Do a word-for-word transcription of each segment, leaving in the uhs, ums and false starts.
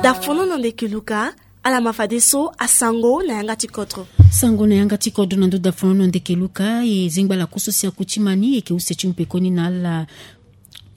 Dafono na ndeke luka. Ala ma fadeso asango na yanga ti kodro. Sango na yanga ti kodro na ndo dafono na ndeke luka e zengba la kusu si akuti mani e ke use ti mu pekoni na ala.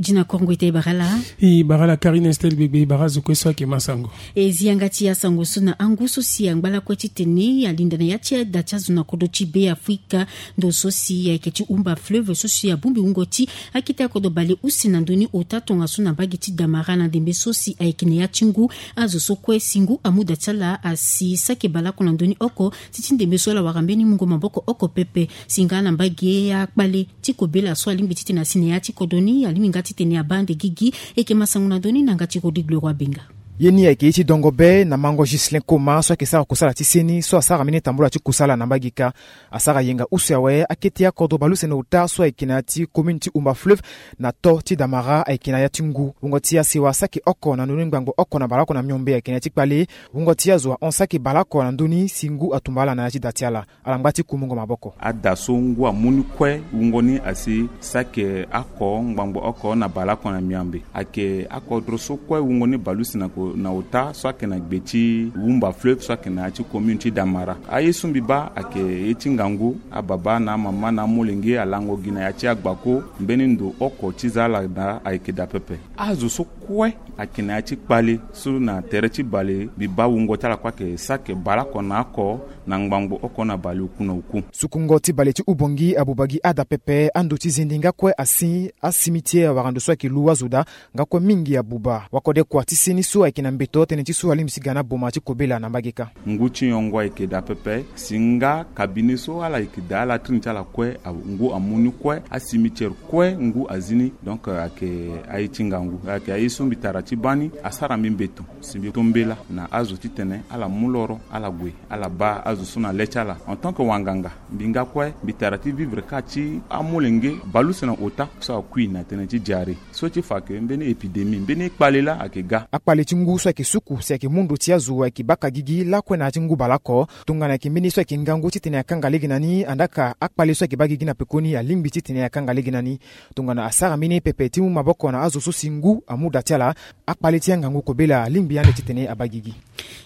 Dina kongo ita e bara la. E bara la Karine Estel Gbegbe, e bara zo kue so ayeke ma sango. E zi yanga ti asango so na angu so si angba lakue titene alinda na ya ti ada ti azo na kodro ti Be Afrika. Ndo so si ayeke ti Umba Fleuve so si abongbi wungo ti akete akodro bale use na ndö ni ota tongaso na mbage ti Damara na ndembe so si ayeke na ya ti ngu. Azo so kue si ngu amu da ti ala asi saki baleoko na ndö ni oko ti ti ndembe so ala wara mbeni mungo maboko oko pepe. Si nga na mbage akpale ti kobela so alingbi titene asi na ya ti kodro ni alingbi nga titene abaa ande gigi. E yeke ma sango na ndö ni na yanga ti Rodrigue Leroy Benga. Ye ni ayeke ye ti dongo be na mango Ghislain Koma so ayeke sara kusala ti seni so asara mbeni tambula ti kusala na mbage kâ. Asara yenga use awe akete akodro baleuse na ota so ayeke na ya ti commune ti Umba Fleuve na to ti Damara ayeke na ya ti ngu. Wungo ti asewa saki oko na ndö ni ngbangbo oko na baleoko na miombe ayeke na ya ti kpale. Wungo ti azo ahon saki baleoko na ndö ni si ngu atumba ala na ya ti da ti ala. Ala ngba ti ku mungo maboko. Ada so ngu amu ni kue wungo ni asi saki oko ngbangbo oko na baleoko na miombe. Ayeke akodro so kue wungo ni baleuse na ota so ayeke na gbe ti Umba Fleuve so ayeke na ya ti commune ti Damara. Aye so mbi baa ayeke ye ti ngangu. Ababa na amama na amolenge alango gi na ya ti agbako. Mbeni ndo oko ti za ala daa ayeke daa pepe. Azo so kue ayeke na ya ti kpale so na tere ti bale mbi baa wungo ti ala kue ayeke saki baleoko na oko na ngbangbo oko na baleoku na oku. Sukungo ti bale ti Ubongi abuba gi ada pepe. Ando ti zende nga kue asi. Asimitiere awara ndo so ayeke lu azo daa. Nga kue mingi abuba wakode kua ti seni so ayeke na mbeto tënë ti so alingbi ti ga na boma ti kobela na mbage kâ. Ngu ti nyongo ayeke daa pepe. Si nga kabine so ala yeke daa ala trini ti ala kue. Ngu amu ni kue. Asimitiere kue ngu azi ni. Donc ayeke aye ti ngangu ayeke aye so mbi tara ti baa ni. Asara mbi mbeto si mbi to mbela na azo titene ala mu loro ala gue ala baa azo so na le ti ala en tant que wanganga. Mbi nga kue mbi tara ti vivre kâ ti amolenge baleuse na ota so akui na tënë ti diare so ti fa ke mbeni épidémie mbeni kpale laa ayeke ga. Akpale ti ngu so ayeke suku si ayeke mu ndo ti azo ayeke baka gigi lakue na ya ti ngu baleoko. Tongana ayeke mbeni so ayeke ngangu titene akanga lege na ni andaa ka akpale so ayeke baa gigi na pekoni alingbi titene akanga lege na ni. Tongana asara mbeni pepe ti mu maboko na azo so si ngu amu da ti ala. Akpale ti angangu kobela alingbi ande titene abaa gigi.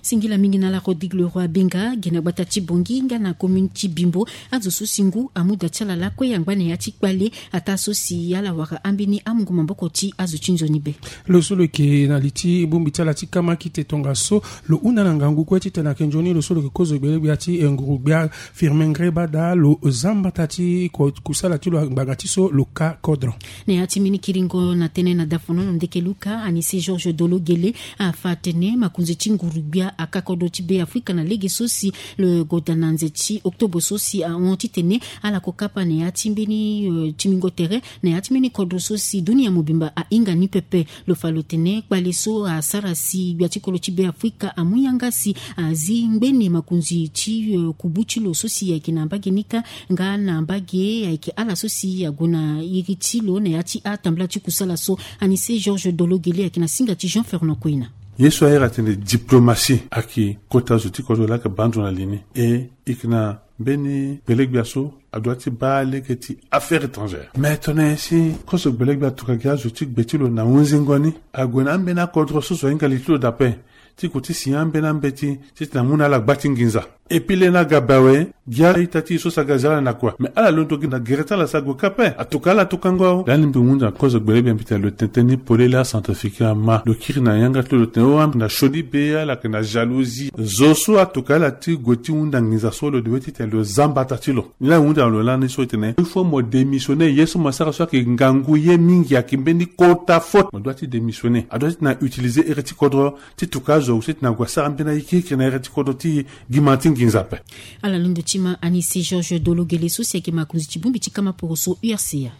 Singila mingi na ala Rodrigue Leroy Benga. Gi na gbata ti Bongi nga na commune ti Bimbo azo so si ngu amu da ti ala lakue angba na ya ti kpale. Ataa so si ala wara ambeni amungo maboko ti azo ti nzoni be. Lo so lo yeke na li ti bongbi ti ala ti kamakite tongaso lo hunda na ngangu kue titene ayeke nzoni lo so lo yeke kozo gbelegbia ti nguru-gbia Firmin Ngreba daa lo zia mbata ti kusala ti lo ngbanga ti so lo ka kodro. Na ya ti mbeni kiringo na tënë na dafono na ndeke luka Anise Georges Dolo Gele afa atene makonzi ti nguru-gbia aka kodro ti Be Afrika na lege so si lo gue daa na nze ti octobre so si ahon titene ala ko kapa na ya ti mbeni tingbingo tere na ya ti mbeni kodro so si dunia mobimba ahinga ni pepe. Lo fa lo tene kpale so asara si gbia ti kodro ti Be Afrika amu yanga si azi ngbene makonzi ti kubu ti lo so si ayeke na mbage ni kâ. Nga na mbage ayeke ala so si ague na iri ti lo na ya ti atambula ti kusala so. Anise Georges Dolo Gele ayeke na singa ti Jean Fernand Koina. Ye so ahere atene diplomatie ayeke kota zo ti kodro laa ayeke baa ndo na li ni. E e yeke na mbeni gbelegbia so adua ti baa lege ti affaire étrangère mais tongana nyen si kozo gbelegbia atuka gi azo ti gbe ti lo na hunzingo ni ague na ambeni akodro so zo ahinga li ti lo daa ape ti ko ti si ambeni ambeti titene amu na ala gba ti nginza. Epui lê ni aga be awe. Gi a-ita ti e so si aga zia ala na kua mais ala londo gi na gere ti ala si ague kâ ape. Atuka ala tukango. Lani mbi hunda na kozo gbelegbia mbi tene lo tene tënë ni polele acentrafricain ama lo kiri na yanga ti lo lo tene o ambi na sioni be ala yeke na jalousie. Zo so atuka ala ti gue ti hunda nginza so lo de we titene lo zia mbata ti lo. Ni laa hunda na lo lani so e tene il faut mo démissionner ye so mo sara so ayeke ngangu ye mingi ayeke mbeni kota faute mo doit ti démissionner adoit ti na utiliser ere ti kodro ti tuka azo awe so ti na gue asara mbeni ayeke yeke na ere ti kodro ti gi ma ti nginza ape. Ala londo ti ma Anise Georges Dolo Gele so si ayeke makonzi ti bongbi ti kama poroso U R C A.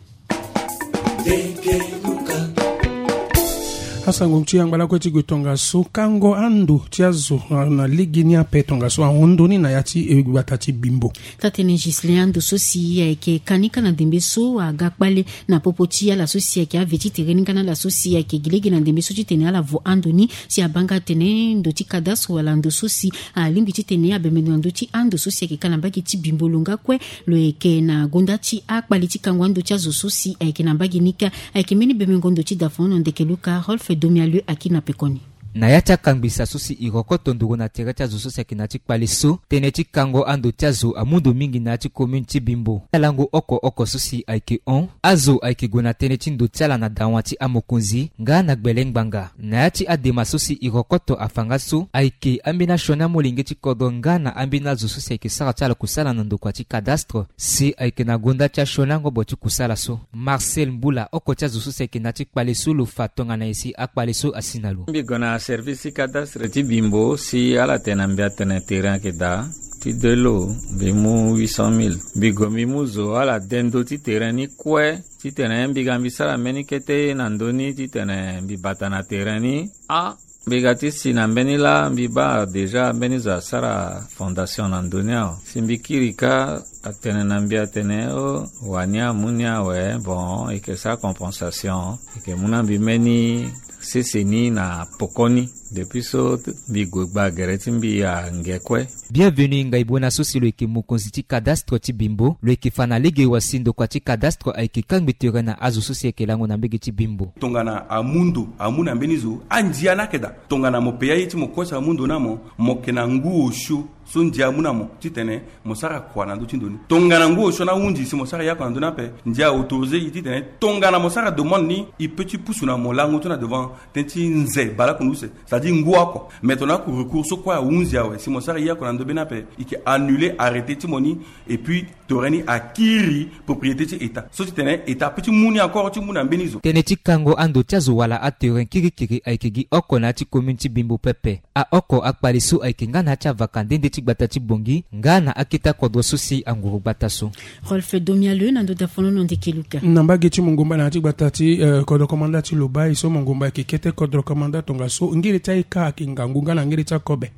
Asango ti angba lakue ti gue tongaso, kango ando ti azo na lege ni ape tongaso ahon ndoni na ya ti gbata ti Bimbo. Taa-tënë Ghislain, ando so si ayeke ka ni ka na ndembe so aga kpale na popo ti ala so si ayeke ave ti tere ni nga na ala so si ayeke gi lege na ndembe so titene ala vo ando ni si abaa nga atene ndo ti cadastre wala ndo so si alingbi titene abembe ndo na ndö ti ando so si ayeke ka na mbage ti Bimbo lo nga kue. Lo yeke na gonda ti akpale ti kango ando ti azo so si ayeke na mbage ni kâ. Ayeke mbeni bemengo ndo ti dafono ndeke Luka Rolf Domialeu aki na pekoni. Na ya ti akangbisa so si e rokoto nduru na tere ti azo so si ayeke na ya ti kpale so, tënë ti kango ando ti azo amu ndo mingi na ya ti commune ti Bimbo. Alango oko oko so si ayeke hon, azo ayeke gue na tënë ti ndo ti ala na dawa ti amokonzi nga na gbele ngbanga. Na ya ti adema so si e rokoto afa nga so, ayeke ambeni asioni amolenge ti kodro nga na ambeni azo so si ayeke sara ti ala kusala na ndokua ti cadastre, si ayeke na gonda ti asioni angobo ti kusala so. Marcel Mbula, oko ti azo so si ayeke na ya ti kpale so, lo fa tongana nyen si akpale so asi na lo. Mbi gue na service ti cadastre ti Bimbo si ala tene na mbi atene terrain ayeke daa ti de lo, mbi mu huit cent mille. Mbi gue mbi mu zo ala de ndö ti terrain ni kue, titene mbi ga mbi sara mbeni kete na ndö ni titene mbi bata na terrain ni. Ah, mbi ga ti si na mbeni laa mbi baa déjà mbeni zo asara fondation na ndö ni awe. Si mbi kiri kâ, atene na mbi atene o, wani amu ni awe, bon, e yeke sara compensation, e yeke mu na mbi mbeni sese ni na poko ni. Depuis so mbi gue gba gere ti mbi ange kue. Bienvenu Ngaibona so si lo yeke mokonzi ti cadastre ti Bimbo, lo yeke fa na lege wa si ndokua ti cadastre ayeke kangbi tere na azo so si ayeke lango na mbage ti Bimbo. Tongana amu ndo, amu na mbeni zo, andia ni ayeke daa. Tongana mo pe aye ti mo kue so amu ndo na mo, mo yeke na ngu osio so ndia amu na mo titene mo sara kua na ndö ti ndo ni. Tongana ngu osio ni ahunzi si mo sara yaku na ndö ni ape, ndia autorisé e titene tongana mo sara demande ni, e peut ti pusu na mo lango ti na devant tënë ti nze baleoko na use, c'est-à-dire ngu oko. Mais tongana aku recours so kue ahunzi awe si mo sara yaku na ndö be ni ape, e yeke annuler arrêté ti mo ni. Et puis terrain ni akiri propriété ti État so titene État peut ti mu ni encore ti mu na mbeni zo. Tënë ti kango ando ti azo wala aterrain kirikiri ayeke gi oko na ya ti commune ti Bimbo pepe. Aoko akpale so ayeke nga na ya ti avaka nde nde ti gbata ti Bangui nga na akete akodro so si anguru gbata so. Rolf Domialeu na ndö dafono na ndeke Luka. Na mbage ti Mongomba na ya ti gbata ti, eh, kodro komanda ti Lobaye so, Mongomba ayeke kete kodro komanda tongaso, ngere ti aye kâ ayeke ngangu nga na ngere ti akobe.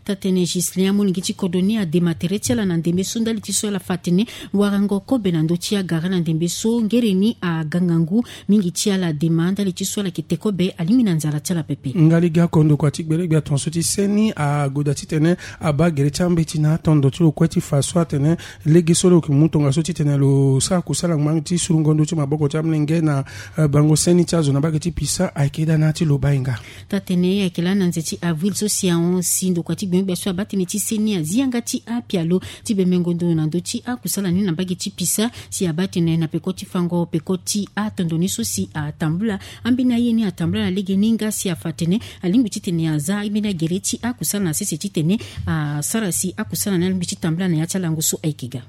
Taa-tënë Ghislain, amolenge ti kodro ni adema tere ti ala na ndembe so ndali ti so ala fa atene warango kobe na ndö ti agara na ndembe so ngere ni aga ngangu. Mingi ti ala adema ndali ti so ala yeke te kobe, alingbi na nzara ti ala pepe. Nga lege oko ndokua ti gbele gbia tongaso ti seni agoda titene abaa gere ti ambeti na atondo ti lo kue ti fa so atene lege so lo yeke mu tongaso titene lo sara kusala ngbanga ti surungo ndö ti maboko ti amolenge na, eh, bango seni ti azo na mbage ti Pisa ayeke daa na ya ti Lobaye nga. Taa-tënë ayeke laa na nze ti avril so si ahon si ndokua ti gbengbe so abaa tënë ti seni azi yanga ti apialo ti bembengo ndo na ndö ti akusala ni na mbage ti Pisa, si abaa tënë na peko ti fango peko ti atondo ni so si atambula. Ambeni aye ni atambula na lege ni nga si afa atene alingbi titene aza ambeni agere ti akusala na sese titene asara si akusala ni alingbi ti tambula na ya ti alango so ayeke ga.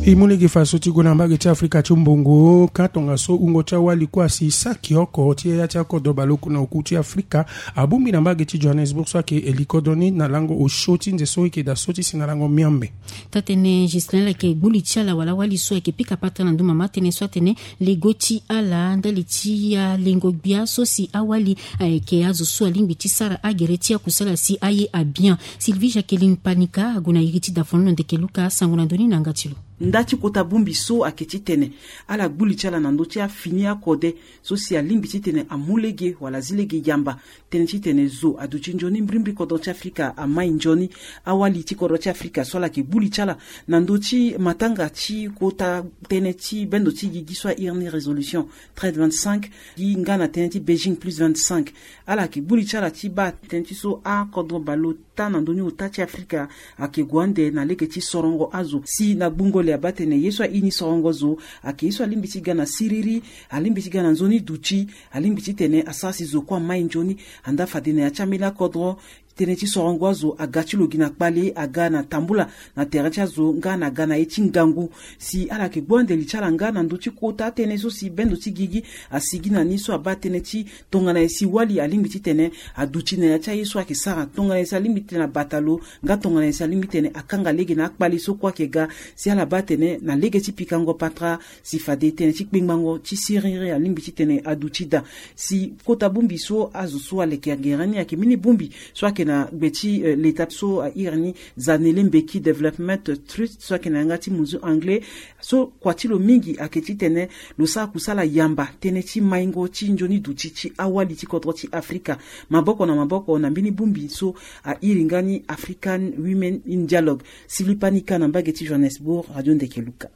E mu lege fa so ti gue na mbage ti Afrika ti mbongo kâ tongaso wungo ti awali kue asi saki oko ti ya ti akodro baleoko na oku ti Afrika abongbi na mbage ti Johannesburg so ayeke li kodro ni na lango osio ti nze so e yeke daa so ti si na lango miambe. Taa-tënë Ghislain, ala yeke gbuli ti ala wala awali so ayeke pika patara na ndö mama tënë so atene lego ti ala ndali ti alengo gbia so si awali ayeke azo so alingbi ti sara agere ti akusala si aye abian. Sylvie Jacqueline Panika ague na iri ti dafono na ndeke Luka asango na ndö ni na yanga ti lo. Nda ti kota bongbi so ayeke titene ala gbuli ti ala na ndö ti afini akode so si alingbi titene amu lege wala azi lege yamba. Tënë titene zo aduti nzoni mbirimbiri kodro ti Afrika amai nzoni. Awali ti kodro ti Afrika so ala yeke gbuli ti ala na ndö ti matanga ti kota tënë ti bendo ti gigi so a iri ni résolution treize vingt-cinq, gi nga na tënë ti Beijing plus vingt-cinq. Ala yeke gbuli ti ala ti baa tënë ti so akodro baleota na ndö ni ota ti Afrika ayeke gue ande na lege ti sorongo azo. Si na gbungo le abaa tene ye so aye ni sorongo zo ayeke ye so alingbi ti ga na siriri, alingbi ti ga na nzoni duti, alingbi titene asara si zo kue amai nzoni. Andaa fade na ya ti ambeni akodro tënë ti sorongo azo aga ti lo gi na kpale, aga na tambula na tere ti azo nga na aga na ye ti ngangu. Si ala yeke gbu ande li ti ala nga na ndö ti kota tënë so si bendo ti gigi asigi na ni so abaa tënë ti tongana ye si wali alingbi titene aduti na ya ti aye so ayeke sara, tongana ye si alingbi titene abata lo, nga tongana ye si alingbi titene akanga lege na akpale so kue ayeke ga. Si ala baa atene na lege ti pikango patara, si fade tënë ti kpengbango ti siriri alingbi titene aduti daa. Si kota bongbi so azo so aleke gere ni ayeke mbeni bongbi so ayeke na gbe ti, eh, leta so airi ni Zanele Mbeki Development Trust so ayeke na yanga ti munzu anglais. So kua ti lo mingi ayeke titene lo sara kusala yamba tënë ti maingo ti nzoni duti ti awali ti kodro ti Afrika, maboko na maboko na mbeni bongbi so airi nga ni African Women in Dialogue. Silipa ni ka na mbage ti Johannesburg, Radio Ndeke Luka.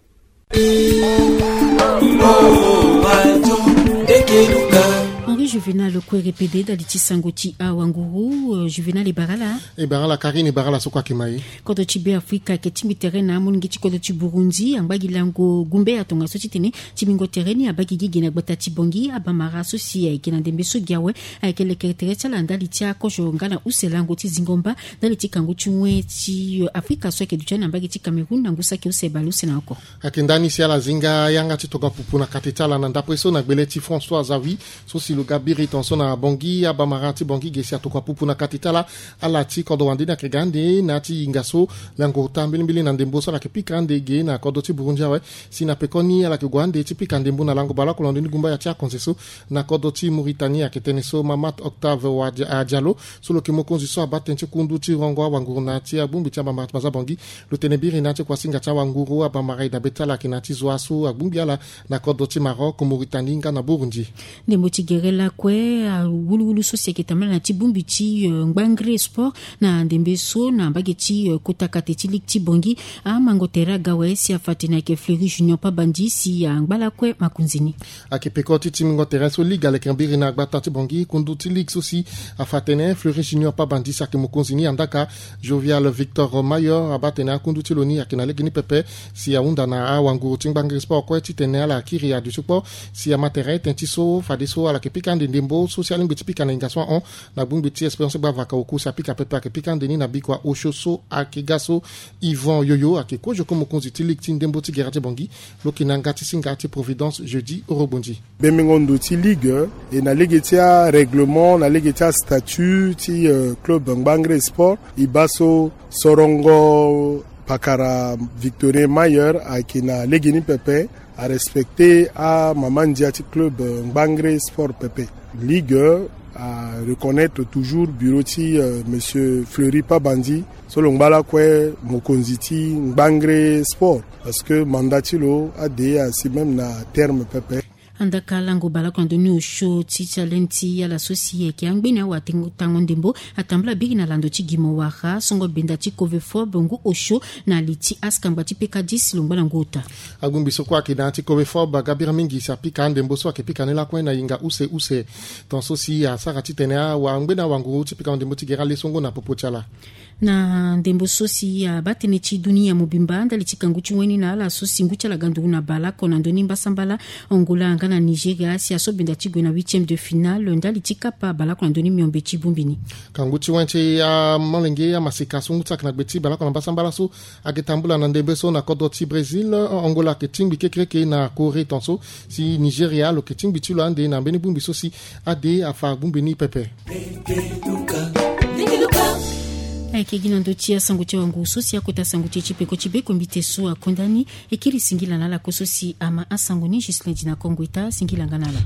Henri Juvenal Kwerepede ndali ti sango ti awanguru. Euh, Juvenal, e bara ala. E bara ala Karine, e bara ala so kue ayeke ma e. Kodro ti Be Afrika ayeke tingbi tere na amolenge ti kodro ti Burundi angba gi lango gumbe atongaso titene timbingo tere ni abaa gi gigi na gbata ti Bangui. Abamara so si ayeke na ndembe so gi awe ayeke lekere tere ti ala ndali ti akozo nga na use lango ti zingo mba ndali ti kangu ti wen ti, euh, Afrika so ayeke duti na mbage ti Cameroun na ngu saki use bale use na oko. Ayeke ndani si ala zinga yanga ti tokua pupu na kati ti ala na ndapre so na gbele ti François Zawi so si lo ga biri tongaso na Bangui. Abamara ti Bangui ge si atokua pupu na kati ti ala. Ala ti kodro wande ni ayeke ga ande na ya ti hinga so lango ota mbilimbili na ndembo so ala yeke pika ande ge na kodro ti Burundi awe. Si na pekoni ala yeke gue ande ti pika ndembo na lango bale oko na ndo ni gumbaya ti akonze so na kodro ti Mauritanie ayeke tene so Mamat Octave Wa Dia-, ah, Diallo so lo yeke mokonzi so abaa tënë ti kundu ti rongo awanguru na ya ti abongbi ti abamara ti Baza Bangui. Lo tene biri na ya ti kuasinga ti awanguru abamara e dabe ti ala ayeke na ya ti zo aso agbongbi ala na kodro ti Maroc, Mauritanie nga na Burundi. Ndembo ti gere lakue, ah, wuluwulu so si ayeke tambula na ya ti bongbi ti, euh, ngbangre sport na ndembe so na mbage ti, euh, kota kate ti ligue ti Bangui. Amango tere aga awe si afa tene ayeke Fleury Junior Pabandi si angba lakue makonzi ni. Ayeke peko ti timbingo tere so ligue aleke mbiri na gbata ti Bangui. Kundu ti ligue so si afa tene Fleury Junior Pabandi si ayeke mokonzi ni, andaka Jovial Victor Mayor abaa tene akundu ti lo ni ayeke na lege ni pepe. Si ahunda na awanguru ti ngbangiri sport kue titene ala kiri aduti kpo si ama tere tënë ti so fadeso ala yeke pika ande ndembo so si alingbi ti pika na hinga so ahon na gbongbi ti Espérance Gbavaka Oku si apika pepe ayeke pika ande ni na bikua osio so ayeke ga so. Yvan Yoyo ayeke kozo ko mokonzi ti ligue ti ndembo ti gere ti Bangui. Lo yeke na yanga ti singa ti Providence Jeudi Orogbonzi. Bembingo ndo ti ligue, e na lege ti arèglement, na lege ti astatut ti, euh, club Ngbangre Sport, e baa so sorongo pakara Victorien Mayer ayeke na lege ni pepe, arespecte amama ndia ti club, euh, Ngbangre Sport pepe. Ligue, euh, areconnaître toujours bureau ti, euh, monsieur Fleury Pabandi, so lo ngba lakue mokonzi ti Ngbangre Sport, parce que mandat ti lo ade asi même na terme pepe. Andaka lango baleoko na ndoni osio ti challenge ti ala so si ayeke angbeni awatango ndembo atambula biri na lando ti gimo wara songo benda ti covefort bongo osio na li ti askangba ti peka dix lo ngba na ngu ota. Agbongbi so kue ayeke na ya ti covefort aga biri mingi si apika andembo so ayeke pika ni lakue na hinga use use. Tongaso si asara titene awa angbeni awanguru ti pika ndembo ti gere ale so ngu na popo ti ala. Na ndembo so si abaa tënë ti dunia mobimba ndali ti kangu ti wen ni na ala so si ngu ti ala ga nduru na baleoko na ndoni mbasambala Angola nga na Nigeria si aso benda ti gue na huitième de finale ndali ti kapa baleoko na ndoni miombe ti bongbi ni. Kangu ti wen ti amolenge amaseka so ngu ti ala ayeke na gbe ti baleoko na mbasambala so ayeke tambula na ndembe so na kodro ti Brésil. Angola ayeke tingbi kekereke na Corée tongaso si Nigeria lo yeke tingbi ti lo ande na mbeni bongbi so si ade afa bongbi ni pepe. Ayeke gi na ndö ti asango ti awanguru so si akota sango ti e ti peko ti be kombi te so akonda ni. E kiri singila na ala kue so si ama asango ni. Ghislain Dina Kongo eta singila nga na ala.